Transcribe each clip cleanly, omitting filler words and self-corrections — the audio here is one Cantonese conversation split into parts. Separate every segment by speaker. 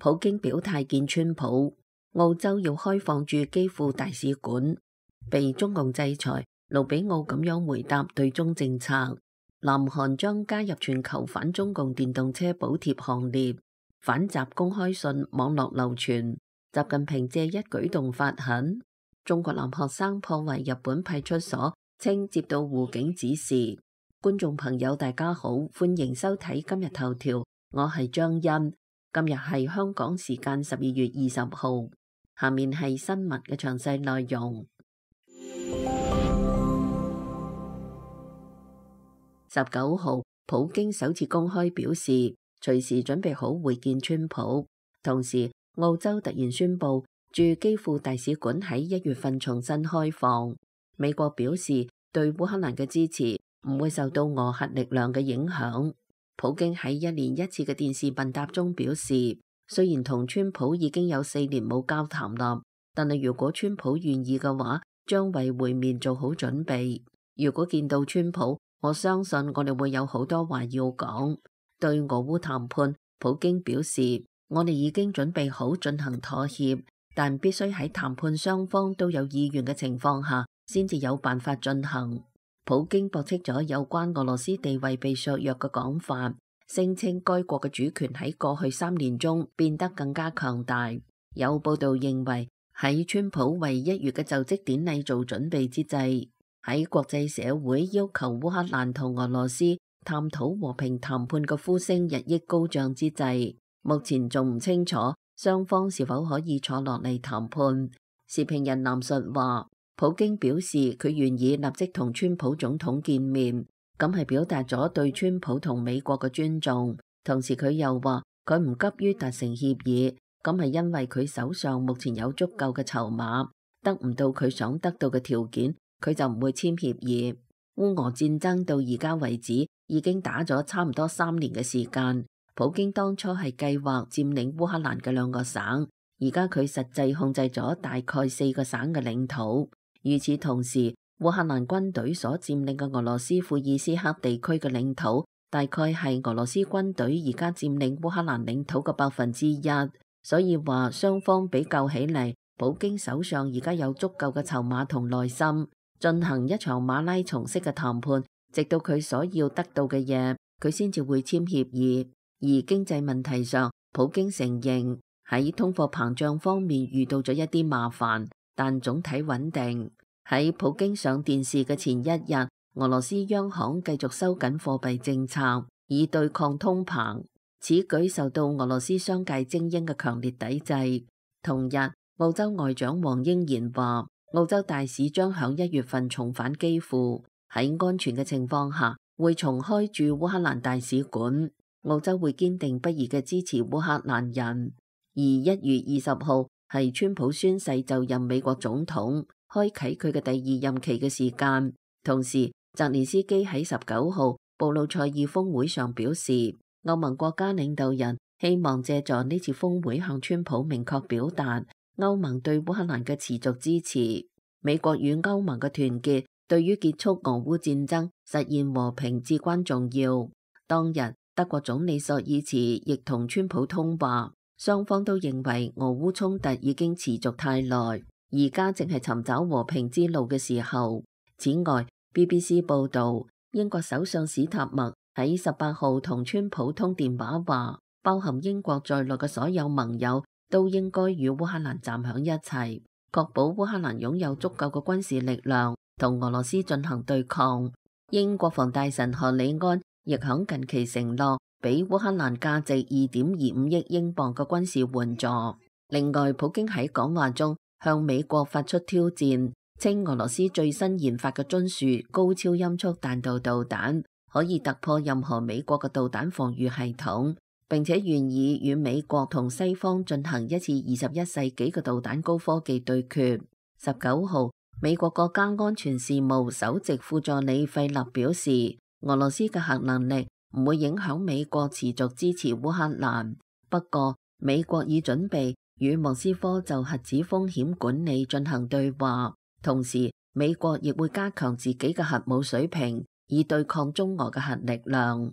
Speaker 1: 普京表態見川普，澳洲要開放駐基輔大使館，被中共制裁。盧比奧咁樣回答對中政策。南韓將加入全球反中共電動車補貼行列。反習公開信網絡流傳，習近平借一舉動發狠。中國男學生破壞日本派出所，稱接到護警指示。觀眾朋友大家好，歡迎收睇今日頭條，我係張欣。今日係香港時間12月20號，下面係新聞嘅詳細內容。19號，普京首次公開表示，隨時準備好會見川普。同時，澳洲突然宣布駐基輔大使館喺1月份重新開放。美國表示對烏克蘭嘅支持唔會受到俄核力量嘅影響。普京喺1年1次嘅電視問答中表示，雖然同川普已經有4年冇交談啦，但係如果川普願意嘅話，將為會面做好準備。如果見到川普，我相信我哋會有好多話要講。對俄烏談判，普京表示，我哋已經準備好進行妥協，但必須喺談判雙方都有意願嘅情況下，先至有辦法進行。普京駁斥咗有關俄羅斯地位被削弱嘅講法，聲稱該國嘅主權喺過去3年中變得更加強大。有報道認為，喺川普為1月嘅就職典禮做準備之際，喺國際社會要求烏克蘭同俄羅斯探討和平談判嘅呼聲日益高漲之際，目前仲唔清楚雙方是否可以坐落嚟談判。時評人藍述話，普京表示佢願意立即同川普總統見面，咁係表達咗對川普同美國嘅尊重。同時佢又話佢唔急於達成協議，咁係因為佢手上目前有足夠嘅籌碼，得唔到佢想得到嘅條件，佢就唔會簽協議。烏俄戰爭到而家為止已經打咗差唔多3年嘅時間。普京當初係計劃佔領烏克蘭嘅2個省，而家佢實際控制咗大概4個省嘅領土。與此同時，烏克蘭軍隊所佔領嘅俄羅斯庫爾斯克地區嘅領土，大概係俄羅斯軍隊而家佔領烏克蘭領土嘅1%。所以話雙方比較起嚟，普京手上而家有足夠嘅籌碼同耐心，進行一場馬拉松式嘅談判，直到佢所要得到嘅嘢，佢先至會簽協議。而經濟問題上，普京承認喺通貨膨脹方面遇到咗一啲麻煩，但總體穩定。喺普京上電視嘅前1日，俄羅斯央行繼續收緊貨幣政策，以對抗通膨。此舉受到俄羅斯商界精英嘅強烈抵制。同日，澳洲外長黃英賢話，澳洲大使將響1月份重返基輔，喺安全嘅情況下會重開駐烏克蘭大使館。澳洲會堅定不移嘅支持烏克蘭人。而1月20號係川普宣誓就任美國總統，開啟佢嘅第2任期嘅時間。同時，澤連斯基喺19號布魯塞爾峰會上表示，歐盟國家領導人希望借助呢次峰會向川普明確表達歐盟對烏克蘭嘅持續支持。美國與歐盟嘅團結對於結束俄烏戰爭、實現和平至關重要。當日，德國總理朔爾茨亦同川普通話，雙方都認為俄烏衝突已經持續太耐，而家正係尋找和平之路嘅時候。此外， BBC 報道，英國首相史塔默喺18號同川普通電話話，包含英國在內嘅所有盟友都應該與烏克蘭站響一齊，確保烏克蘭擁有足夠嘅軍事力量同俄羅斯進行對抗。英國防大臣何里安亦響近期承諾俾烏克蘭價值2.25億英鎊嘅軍事援助。另外，普京喺講話中向美國發出挑戰，稱俄羅斯最新研發嘅津樹高超音速彈道導彈可以突破任何美國嘅導彈防禦系統，並且願意與美國同西方進行一次21世紀嘅導彈高科技對決。19號，美國國家安全事務首席副助理費勒表示，俄羅斯嘅核能力唔會影響美國持續支持烏克蘭。不過，美國已準備與莫斯科就核子風險管理進行對話，同時美國亦會加強自己嘅核武水平，以對抗中俄嘅核力量。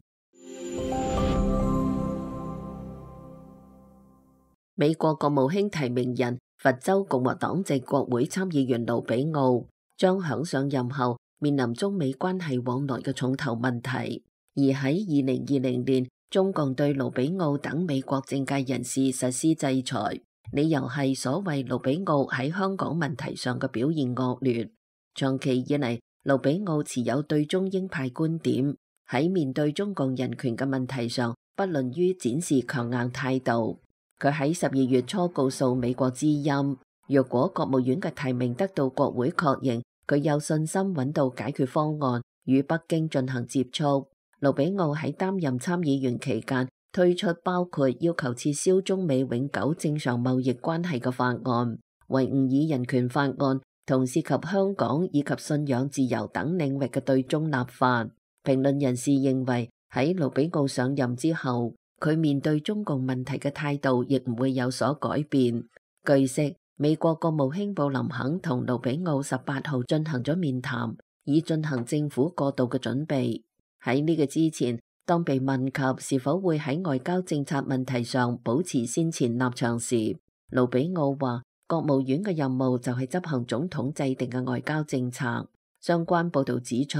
Speaker 1: 美國國務卿提名人佛州共和黨籍國會參議員盧比奧將響上任後面臨中美關係往來嘅重頭問題，而喺2020年，中共對盧比奧等美國政界人士實施制裁，理由係所謂盧比奧喺香港問題上嘅表現惡劣。長期以嚟，盧比奧持有對中鷹派觀點，喺面對中共人權嘅問題上，不吝於展示強硬態度。佢喺12月初告訴美國之音，若果國務院嘅提名得到國會確認，佢有信心揾到解決方案，與北京進行接觸。盧比奧喺擔任參議員期間推出包括要求撤銷中美永久正常貿易關係嘅法案、維吾爾人權法案同涉及香港以及信仰自由等領域嘅對中立法。評論人士認為，喺盧比奧上任之後，佢面對中共問題嘅態度亦唔會有所改變。據悉，美國國務卿布林肯同盧比奧18號進行咗面談，以進行政府過渡嘅準備。喺呢個之前，當被問及是否會喺外交政策問題上保持先前立場時，盧比奧話國務院嘅任務就係執行總統制定嘅外交政策。相關報導指出，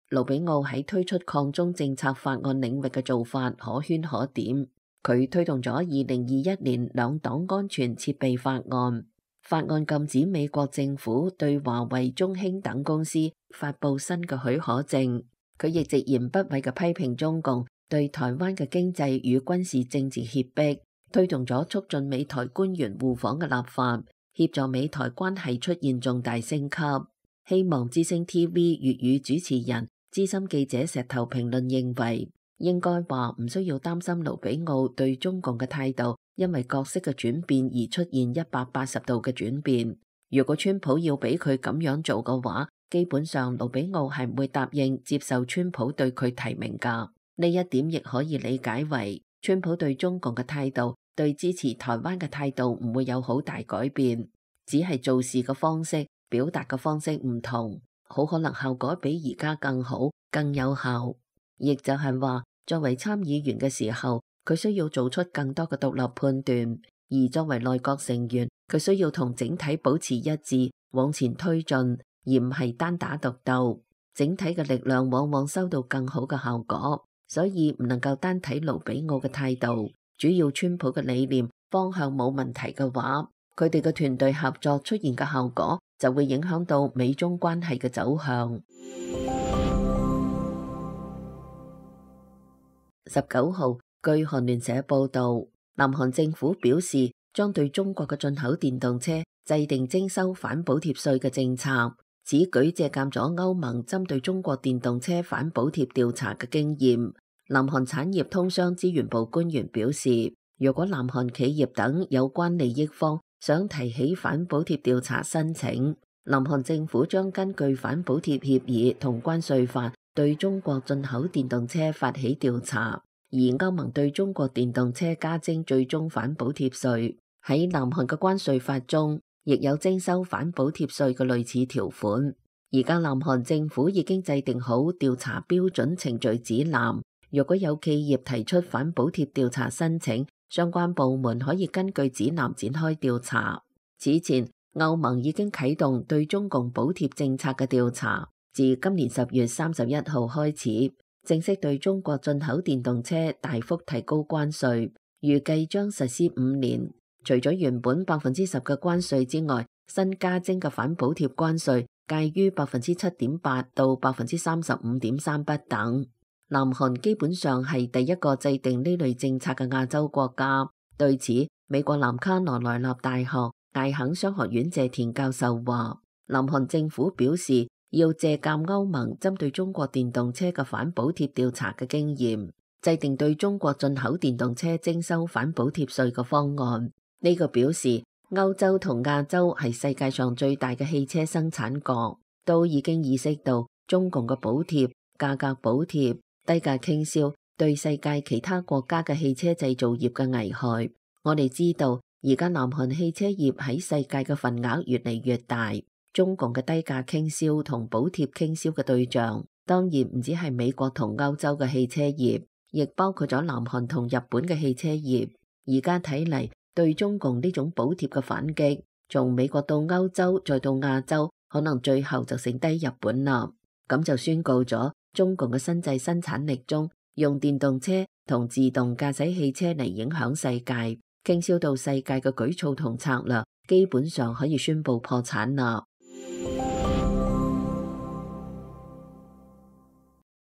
Speaker 1: 盧比奧喺推出抗中政策法案領域嘅做法可圈可點。佢推動咗2021年兩黨安全設備法案，法案禁止美國政府對華為、中興等公司發布新嘅許可證。佢亦直言不諱嘅批評中共對台灣嘅經濟與軍事政治脅迫，推動咗促進美台官員互訪嘅立法，協助美台關係出現重大升級。希望之聲 TV 粵語主持人資深記者石頭評論認為，應該話唔需要擔心盧比奧對中共嘅態度因為角色嘅轉變而出現180度嘅轉變。如果川普要俾佢咁樣做嘅話，基本上盧比奧係唔會答應接受川普對佢提名㗎。呢一點亦可以理解為川普對中共嘅態度對支持台灣嘅態度唔會有好大改變，只係做事嘅方式、表達嘅方式唔同，好可能效果比而家更好、更有效。亦就係話，作為參議員嘅時候，佢需要做出更多嘅獨立判斷，而作為內閣成員，佢需要同整體保持一致，往前推進，而唔係單打獨鬥。整體嘅力量往往收到更好嘅效果，所以唔能夠單睇盧比奧嘅態度。主要川普嘅理念方向冇問題嘅話，佢哋嘅團隊合作出現嘅效果就會影響到美中關係嘅走向。19號，據韓聯社報導，南韓政府表示將對中國嘅進口電動車制定徵收反補貼稅嘅政策。此舉借鑑咗歐盟針對中國電動車反補貼調查嘅經驗。南韓產業通商資源部官員表示，如果南韓企業等有關利益方想提起反補貼調查申請，南韓政府將根據反補貼協議同關稅法對中國進口電動車發起調查。而歐盟對中國電動車加徵最終反補貼稅，喺南韓嘅關稅法中亦有徵收反補貼稅嘅類似條款。而家南韓政府已經制定好調查標準程序指南，如果有企業提出反補貼調查申請，相關部門可以根據指南展開調查。此前，歐盟已經啟動對中共補貼政策嘅調查，自今年10月31號開始，正式對中國進口電動車大幅提高關稅，預計將實施5年。除咗原本10%嘅關稅之外，新加徵嘅反補貼關稅介於7.8%到35.3%不等。南韓基本上係第一個制定呢類政策嘅亞洲國家。對此，美國南卡羅來納大學艾肯商學院謝田教授話，南韓政府表示要借鑑歐盟針對中國電動車嘅反補貼調查嘅經驗，制定對中國進口電動車徵收反補貼稅嘅方案。呢個表示歐洲同亞洲係世界上最大嘅汽車生產國，都已經意識到中共嘅補貼、價格補貼、低價傾銷對世界其他國家嘅汽車製造業嘅危害。我哋知道而家南韓汽車業喺世界嘅份額越嚟越大，中共嘅低價傾銷同補貼傾銷嘅對象當然唔止係美國同歐洲嘅汽車業，亦包括咗南韓同日本嘅汽車業。而家睇嚟，對中共呢種補貼嘅反擊，從美國到歐洲再到亞洲，可能最後就剩低日本啦。咁就宣告咗中共嘅新製生產力中，用電動車同自動駕駛汽車嚟影響世界，傾銷到世界嘅舉措同策略，基本上可以宣布破產啦。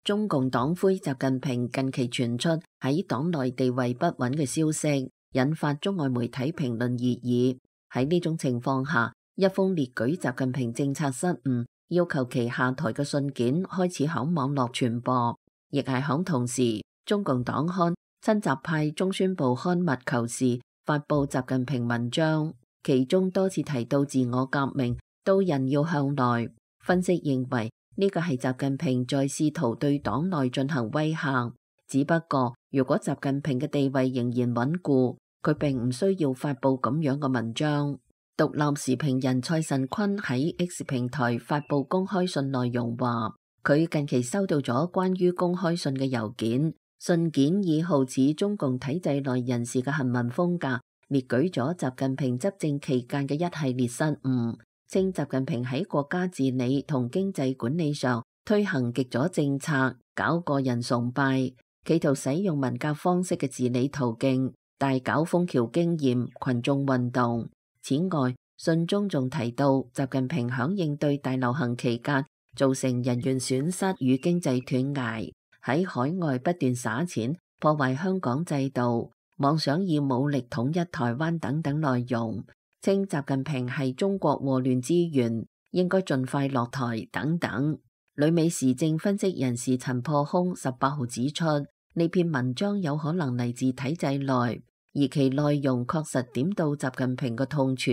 Speaker 1: 中共黨魁習近平近期傳出喺黨內地位不穩嘅消息，引發中外媒體評論熱議。喺呢種情況下，一封列舉習近平政策失誤，要求其下台嘅信件開始響網絡傳播，亦係響同時，中共黨刊親習派中宣部刊物《求是》發布習近平文章，其中多次提到自我革命，到人要向內。分析認為，呢個係習近平在試圖對黨內進行威嚇，只不過如果習近平嘅地位仍然穩固，佢並唔需要發布咁樣嘅文章。獨立時評人蔡慎坤喺 X 平台發布公開信內容話，佢近期收到咗關於公開信嘅郵件，信件以好似中共體制內人士嘅行文風格，列舉咗習近平執政期間嘅一系列失誤，稱習近平喺國家治理同經濟管理上推行極左政策，搞個人崇拜，企圖使用文革方式嘅治理途徑，大搞楓橋經驗、群眾運動。此外，信中仲提到習近平響應對大流行期間造成人員損失與經濟斷崖，喺海外不斷撒錢破壞香港制度，妄想以武力統一台灣等等內容，稱習近平係中國禍亂之源，應該盡快落台等等。旅美時政分析人士陳破空18號指出，呢篇文章有可能嚟自體制內，而其內容確實點到習近平嘅痛處。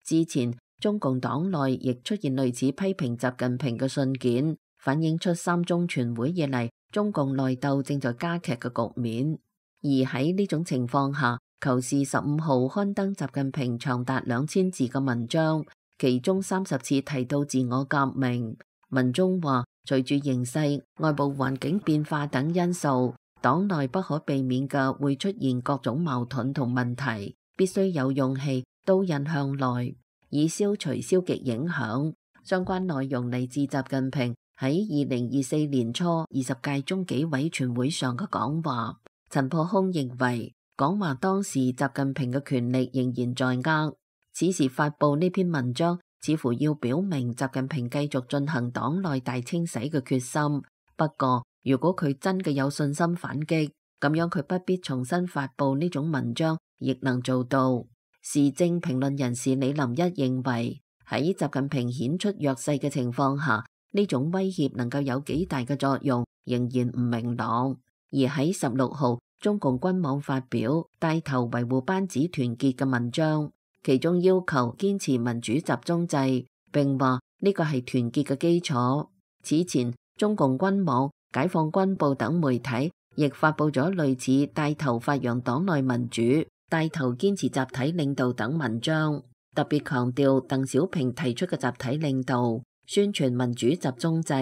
Speaker 1: 之前中共黨內亦出現類似批評習近平嘅信件，反映出三中全會以嚟中共內鬥正在加劇嘅局面。而喺呢種情況下，求是15號刊登習近平長達2000字嘅文章，其中30次提到自我革命。文中話，隨住形勢、外部環境變化等因素，黨內不可避免嘅會出現各種矛盾同問題，必須有勇氣刀刃向內，以消除消極影響。相關內容嚟自習近平喺2024年初20屆中紀委全會上嘅講話。陳破空認為，講話當時習近平嘅權力仍然在握，此時發布呢篇文章，似乎要表明習近平繼續進行黨內大清洗嘅決心。不過，如果佢真嘅有信心反擊，咁樣佢不必重新發布呢種文章，亦能做到。時政評論人士李林一認為，喺習近平顯出弱勢嘅情況下，呢種威脅能夠有幾大嘅作用，仍然唔明朗。而喺16號，中共軍網發表帶頭維護班子團結嘅文章，其中要求堅持民主集中制，並話呢個係團結嘅基礎。此前，中共軍網、解放軍報等媒體亦發布咗類似帶頭發揚黨內民主、帶頭堅持集體領導等文章，特別強調鄧小平提出嘅集體領導，宣傳民主集中制。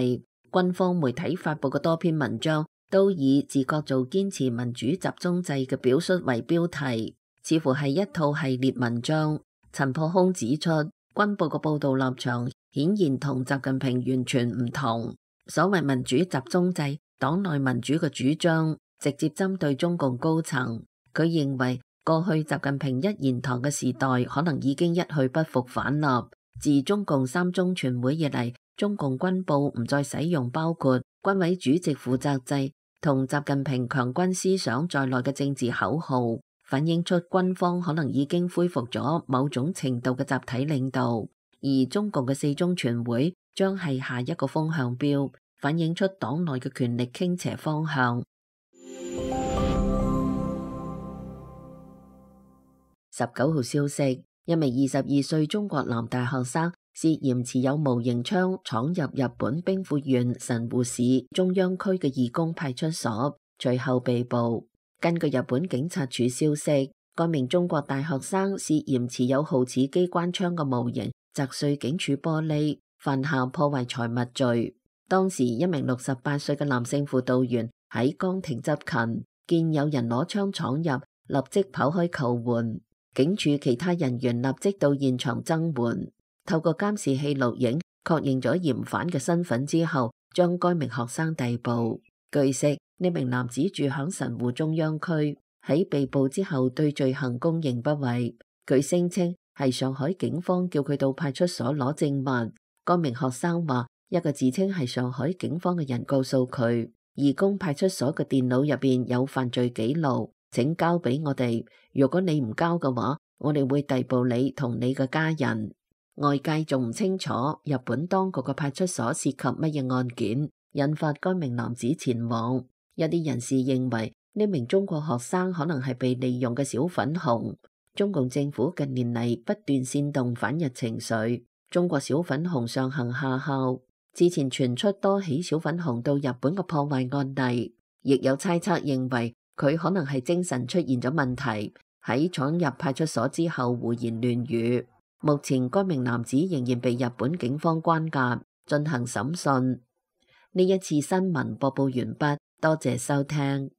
Speaker 1: 軍方媒體發布嘅多篇文章都以自覺做堅持民主集中制嘅表述為標題，似乎係一套系列文章。陳破空指出，軍報嘅報道立場顯然同習近平完全唔同。所謂民主集中制，黨內民主嘅主張直接針對中共高層。佢認為過去習近平一言堂嘅時代可能已經一去不復返啦。自中共三中全會以嚟，中共軍報唔再使用包括軍委主席負責制同習近平強軍思想在內嘅政治口號，反映出軍方可能已經恢復咗某種程度嘅集體領導。而中共嘅四中全會將係下一個風向標，反映出黨內嘅權力傾斜方向。19號消息，一名22歲中國男大學生涉嫌持有模型槍闖入日本兵庫縣神戶市中央區嘅義工派出所，隨後被捕。根據日本警察署消息，該名中國大學生涉嫌持有好似機關槍嘅模型砸碎警署玻璃，犯下破壞財物罪。當時一名68歲嘅男性輔導員喺崗亭執勤，見有人攞槍闖入，立即跑開求援。警署其他人員立即到現場增援，透過監視器錄影確認咗嫌犯嘅身份之後，將該名學生逮捕。據悉，呢名男子住響神戶中央區，喺被捕之後對罪行供認不諱。佢聲稱係上海警方叫佢到派出所攞證物。該名學生話，一個自稱係上海警方嘅人告訴佢，義工派出所嘅電腦入邊有犯罪記錄，請交俾我哋。如果你唔交嘅話，我哋會逮捕你同你嘅家人。外界仲唔清楚日本當局嘅派出所涉及乜嘢案件，引發該名男子前往。一啲人士認為呢名中國學生可能係被利用嘅小粉紅。中共政府近年嚟不斷煽動反日情緒，中國小粉紅上行下效。之前傳出多起小粉紅到日本嘅破壞案例，亦有猜測認為佢可能係精神出現咗問題，喺闖入派出所之後胡言亂語。目前該名男子仍然被日本警方關押進行審訊。呢一次新聞播報完畢，多謝收聽。